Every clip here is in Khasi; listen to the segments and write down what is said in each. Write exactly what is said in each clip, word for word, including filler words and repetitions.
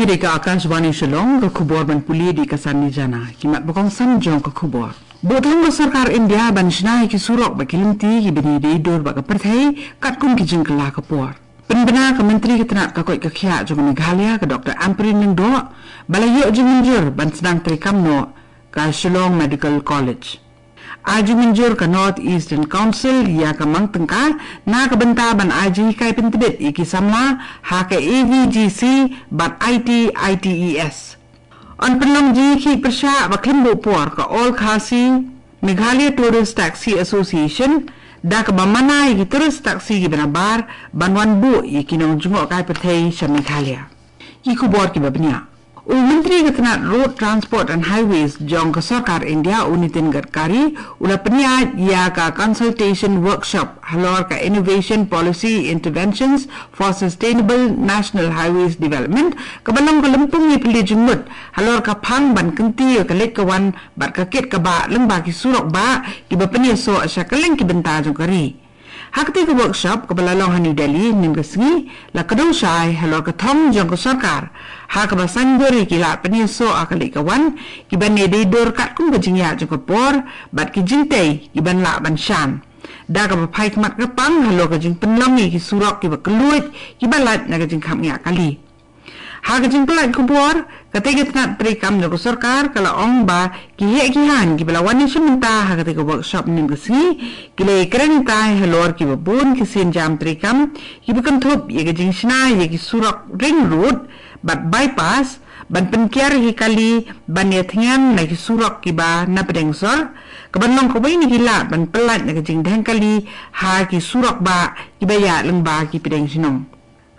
Dei ka Akashvani Shillong, ka khubor ban pule dei ka Sanni Jana. Ki mat ba kongsan jong ka khubor. Buh thong ka sorkar India ban shna ïa ki surok bad ki lynti kiba dei dei dur bad ka pyrthei, katkum ki jingkylla ka por. Pynbna ka Myntri ka tnat ka koit ka khiah jong ka Meghalaya ka Doctor Ampareen Lyngdoh ba la ïoh jingmynjur ban sdang treikam noh ka Shillong Medical College. Ai jingmynjur ka North Eastern Council ïa ka mang tyngka na ka bynta ban ai jinghikai pyntbit ïa ki samla ha ka A V G C bad I T I T E S. Yn pynlong jingïakhih pyrshah ba khlem buh por ka All Khasi Meghalaya Tourist Taxi Association da kaba mana ïa ki tourist taxi kiba nabar ban wan buh ïa ki nongjngohkai pyrthei sha Meghalaya. Ki khubor kiba bniah. U Myntri ka tnat Road Transport and Highways jong ka sorkar India, u Nitin Gadkari, u la pynïaid ïa ka consultation workshop halor ka Innovation Policy Interventions for Sustainable National Highways Development, kaba long ka lympung ïapyllait jingmut halor ka phang ban kyntiew ïa ka leit ka wan bad ka kit ka bah lyngba ki surok bah kiba pynïasoh sha kylleng ki bynta jong ka ri. Ha katei ka workshop kaba la long ha New Delhi mynne ka sngi, la kdew shai halor ka thong jong ka sorkar ha kaba saiñdur ïa ki lad pynïasoh ha ka leit ka wan kiba dei dei dur katkum ka jingïaid jong ka por bad ki jingtei kiban lah ban shan, da kaba phai khmat kyrpang halor ka jingpynlong ïa ki surok kiba kylluid kiba lait na ka jingkhapngiah kali. Ha ka jingpyllait khubor, katei ka tnat treikam jong ka sorkar ka la ong ba ki heh ki haiñ kiba la wan ïashim bynta ha katei ka workshop mynne ka sngi ki la ïakren bynta halor kiba bun ki sienjam treikam kiba kynthup ïa ka jingshna ïa ki surok ring road bad bypass, ban pynkiar ïa ki kali ban ïathngan na ki surok kiba na pdeng sor, kaban long kawei na ki lad ban pyllait na ka jingdheng kali ha ki surok bah kiba ïaid lyngba ki pdeng shnong.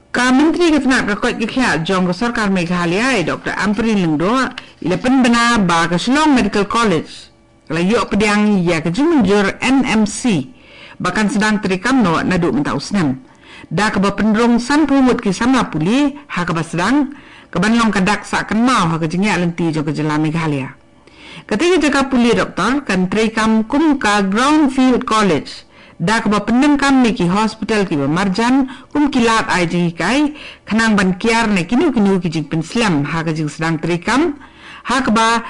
Ka Myntri ka tnat ka koit ka khiah jong ka sorkar Meghalaya, i Doctor Ampareen Lyngdoh, i la pynbna ba ka Shillong Medical College ka la ïoh pdiang ïa ka jingmynjur N M C ba kan sdang treikam noh naduh mynta u snem, da kaba pynrung sanphew ngut ki samla pule ha kaba sdang, kaban long ka dak sah kynmaw ha ka jingïaid lynti jong ka jylla Meghalaya. Katei ka jaka pule doktor kan treikam kum ka Brownfield College, da kaba pyndonkam ïa ki hospital kiba marjan kum ki lad ai jinghikai, khnang ban kiar na kino kino ki jingpynslem ha ka jingsdang treikam, ha kaba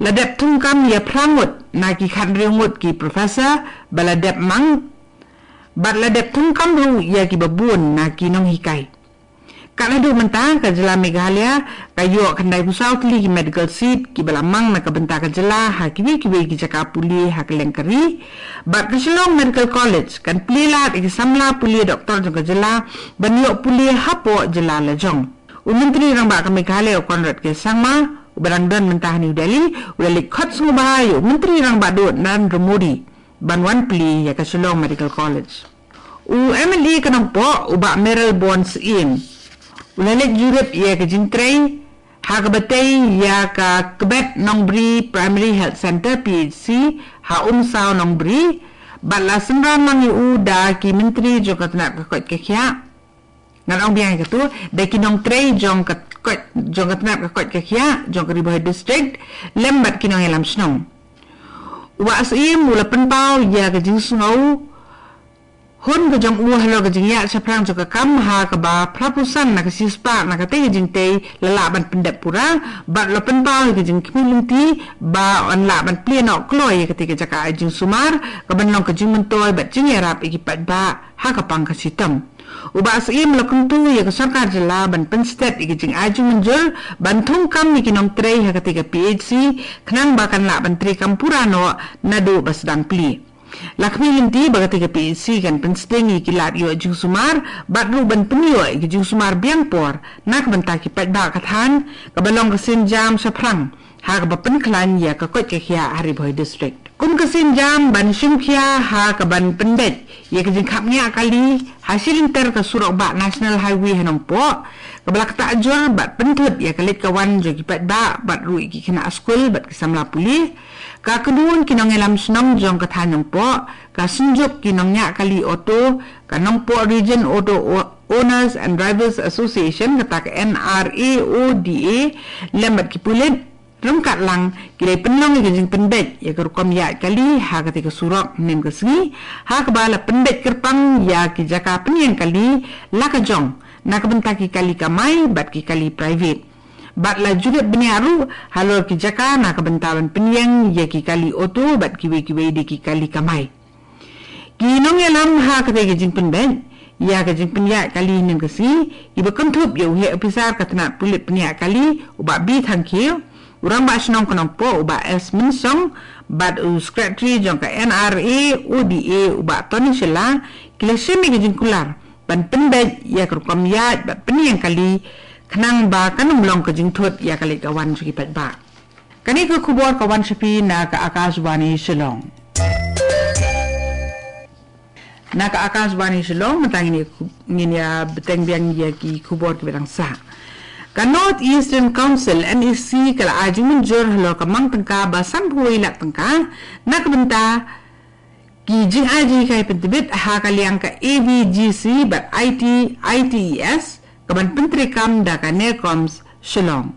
la dep thungkam ïa phra ngut na ki khathynriew ngut ki professor ba la dep mang, bad la dep thungkam ruh ïa kiba bun na ki nonghikai. Kat haduh mynta ka jylla Meghalaya ka ïoh khyndai phew saw tylli ki medical seat kiba la mang na ka bynta ka jylla ha kiwei kiwei ki jaka pule ha kylleng ka ri. Bad ka Shillong Medical College kan plie lad ïa ki samla pule doktor jong ka jylla ban ïoh pule hapoh jylla la jong. U Myntri Rangbah ka Meghalaya u Conrad K Sangma, uba dang don mynta ha New Delhi, u la leit khot sngewbha ïa u Myntri Rangbah Duh Narendra Modi ban wan plie ïa ka Shillong Medical College. U M L A ka Nongpoh, u Bah Mayralborn Syiem, u la leit jurip ïa ka jingtrei ha kaba tei ïa ka Kbet Nongbri Primary Health Centre, P H C, ha Umsaw Nongbri, bad la synran lang ïa u da ki myntri jong ka tnat ka koit ka khiah. Ngan ong biang ïa katu, da ki nongtrei jong ka koit, jong ka tnat ka koit ka khiah jong ka Ri Bhoi District, lem bad ki nongïalam shnong. U Bah Syiem u la pynpaw ïa ka jingsngew hun ka jong u halor ka jingïaid shaphrang jong ka kam, ha kaba phra phew san na ka shispah na katei ka jingtei la lah ban pyndep pura, bad la pynpaw ïa ka jingkhmih lynti ba yn lah ban plie noh kloi ïa katei ka jaka ai jingsumar, kaban long ka jingmyntoi bad jingïarap ïa ki paidbah ha ka pang ka shitom. U Bah Syiem u la kyntu ïa ka sorkar jylla ban pynstet ïa ka jingai jingmynjur ban thungkam ïa ki nongtrei ha katei ka P H C, khnang ba kan lah ban treikam pura noh naduh ba sdang plie. La khmih lynti ba katei ka P H C kan pynsting ïa ki lad ïoh jingsumar, bad ruh ban pynïoh ïa ki jingsumar biang por na ka bynta ki paidbah ka thaiñ, kaba long ka sienjam shaphrang ha kaba pynkhlaiñ ïa ka koit ka khiah ha Ri Bhoi District. Kum ka sienjam ban shim khia ha kaban pynbeit ïa ka jingkhapngiah kali ha shi lynter ka surok bah National Highway ha Nongpoh, kaba la ktah jur bad pynthut ïa ka leit ka wan jong ki paidbah bad ruh ïa ki khynnah skul bad ki samla pule, ka kynhun ki nongïalam shnong jong ka thaiñ Nongpoh, ka Synjuk ki nongñiah kali auto, ka Nongpoh Region Auto O-, Owners and Drivers Association, kata ka N R A O D A, lem bad ki pulit, ryngkat lang ki la pynlong ïa ka jingpynbeit ïa ka rukom ïaid kali ha katei ka surok mynne ka sngi, ha kaba la pynbeit kyrpang ïa ki jaka pynïeng kali la ka jong na ka bynta ki kali kamai bad ki kali private. Bad la ju leit bniah ruh halor ki jaka na ka bynta ban pynïeng ïa ki kali auto bad kiwei kiwei de ki kali kamai. Ki nongïalam ha kata ka jingpynbeit ïa ka jingpynïaid kali hynnin ka sngi, kiba kynthup ïa u heh ophisar ka tnat pulit pynïaid kali u Bah B Thangkhiew, u Rangbah Shnong ka Nongpoh u Bah S Mynsong, bad u Secretary jong ka N R A O D A u Bah Tony Shylla, ki la shim ïa ka jingkular ban pynbeit ïa ka rukom ïaid bad pynïeng kali, khnang ba kan ym long ka jingthut ïa ka leit ka wan jong ki paidbah. Kane ka khubor ka wan sha phi na ka Akashvani Shillong. Na ka Akashvani Shillong mynta ngin ïa, ngin ïa bteng biang ïa ki khubor kiba dang sah. Ka North Eastern Council, N E C, ka la ai jingmynjur halor ka mang tyngka ba sanphew lak tyngka na ka bynta ki jingai jinghikai pyntbit ha ka liang ka A V G C bad I T, I T E S, ka ban pyntreikam da ka NERCOMS Shillong.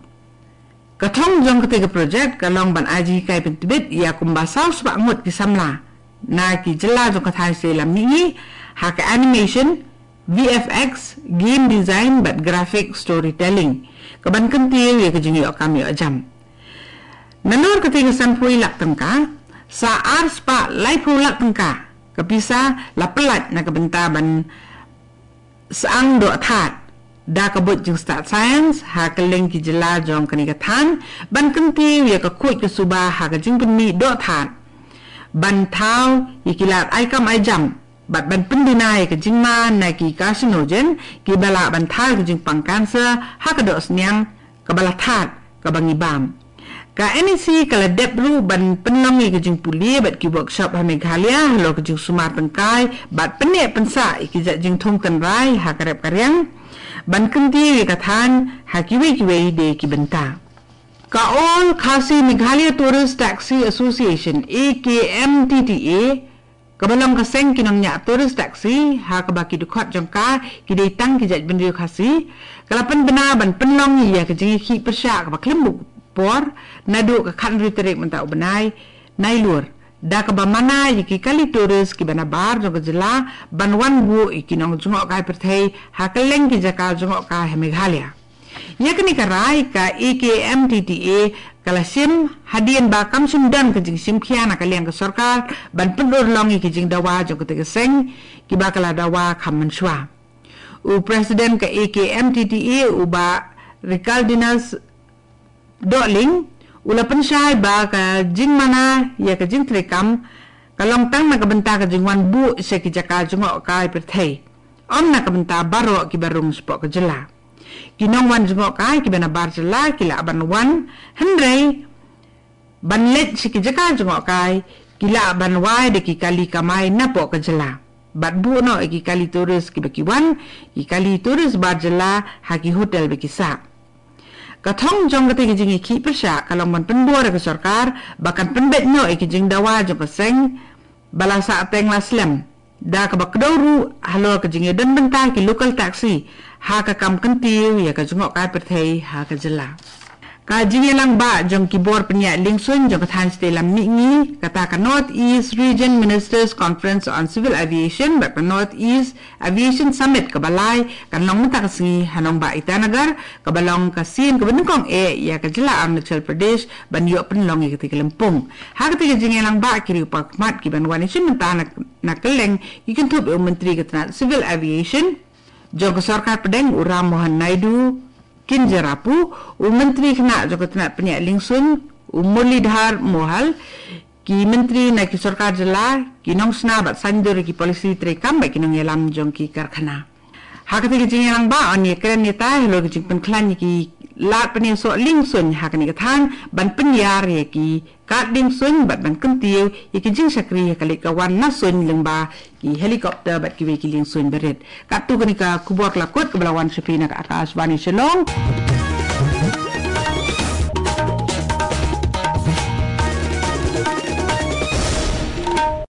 Ka thong jong kata ka project ka long ban ai jinghikai pyntbit ïa kumba saw spah ngut ki samla na ki jylla jong ka thaiñ shatei lam mihngi ha ka animation, V F X, game design bad graphic storytelling, ka ban kyntiew ïa ka jingïoh kam ïoh jam. Nalor kata ka sanphew lak tyngka, sa ar spah laiphew lak tyngka ka pisa la pyllait na ka bynta ban sdang doh thad da ka buit jingstad science ha kylleng ki jylla jong kane ka thaiñ, ban kyntiew ïa ka khuid ka suba ha ka jingpynmih doh thad, ban thaw ïa ki lad ai kam ai jam bad ban pynduna ïa ka jingma na ki carcinogen kiba lah ban thaw ïa ka jingpang cancer ha ka doh sniang kaba la thad kaba ngi bam. Ka N E C ka la dep ruh ban pynlong ïa ka jingpule bad ki workshop ha Meghalaya halor ka jingsumar tyngkai bad pynneh pynsah ïa ki jait jingthung tynrai ha ka rep ka riang, ban kyntiew ïa ka thaiñ ha kiwei kiwei de ki bynta. Ka All Khasi Meghalaya Tourist Taxi Association, A K M T T A, kaba long ka seng ki nongñiah tourist taxi ha kaba ki dkhot jong ka ki dei tang ki jaitbynriew Khasi, ka la pynbna ban pynlong ïa ka jingïakhih pyrshah kaba khlem buh por naduh ka khathynriew tarik mynta u bnai Nailur, da kaba mana ïa ki kali tourist kiba nabar jong ka jylla ban wan buh ïa ki nongjngohkai pyrthei ha kylleng ki jaka jngohkai ha Meghalaya. Ïa kane ka rai ka A K M T T A ka la shim hadien ba kam shym don ka jingshim khia na ka liang ka sorkar ban pynurlong ïa ki jingdawa jong kata ka seng kiba ka la dawa kham mynshuwa. U President ka A K M T T A u Bah Ricaldinus Dohling u la pynshai ba ka jingmana ïa ka jingtreikam ka long tang na ka bynta ka jingwan buh sha ki jaka jngohkai pyrthei, ym na ka bynta baroh kiba rung shapoh ka jylla. Ki nongwan jngohkai kiba nabar jylla ki lah ban wan, hynrei ban leit sha ki jaka jngohkai ki lah ban wai da ki kali kamai napoh ka jylla bad buh noh ïa ki kali tourist kiba ki wan, ki kali tourist bar jylla ha ki hotel ba ki sah. Ka thong jong kata ka jingïakhih pyrshah ka long ban pynbor ïa ka sorkar ba kan pynbeit noh ïa ki jingdawa jong ka seng ba la sah teng la slem, da kaba kdew ruh halor ka jingïadon bynta ki local taxi ha ka kam kyntiew ïa ka jngohkai pyrthei ha ka jylla. Ka jingïalang bah jong ki bor pynïaid liengsuiñ jong ka thaiñ shatei lam mihngi, kata ka North East Region Ministers Conference on Civil Aviation bad ka North East Aviation Summit kaba lai kan long mynta ka sngi ha nongbah Itanagar, kaba long ka sien kaba nyngkong eh ïa ka jylla Arunachal Pradesh ban ïoh pynlong ïa kata ka lympung. Ha kata ka jingïalang bah ki riew pakhmat ki ban wan ïashim bynta na, na kylleng ki kynthup ïa u Myntri ka tnat Civil Aviation jong ka sorkar pdeng u Ram Mohan Naidu Kinjarapu, u Myntri khynnah jong ka tnat pynïaid liengsuiñ u Murlidhar Mohal, ki myntri na ki sorkar jylla, ki nongsna bad saiñdur ïa ki polisi treikam bad ki nongïalam jong ki karkhana. Ha kata ka jingïalang bah yn ïakren ïatai halor ka jingpynkhlaiñ ïa ki lad pynïasoh liengsuiñ ha kane ka thaiñ ban pynïar ïa ki kad liengsuiñ bad ban kyntiew ïa ki jingshakri ha ka leit ka wan na suiñ lyngba ki helicopter bad kiwei ki liengsuiñ barit. Katto kane ka khubor ka la kut kaba la wan sha phi na ka Akashvani Shillong.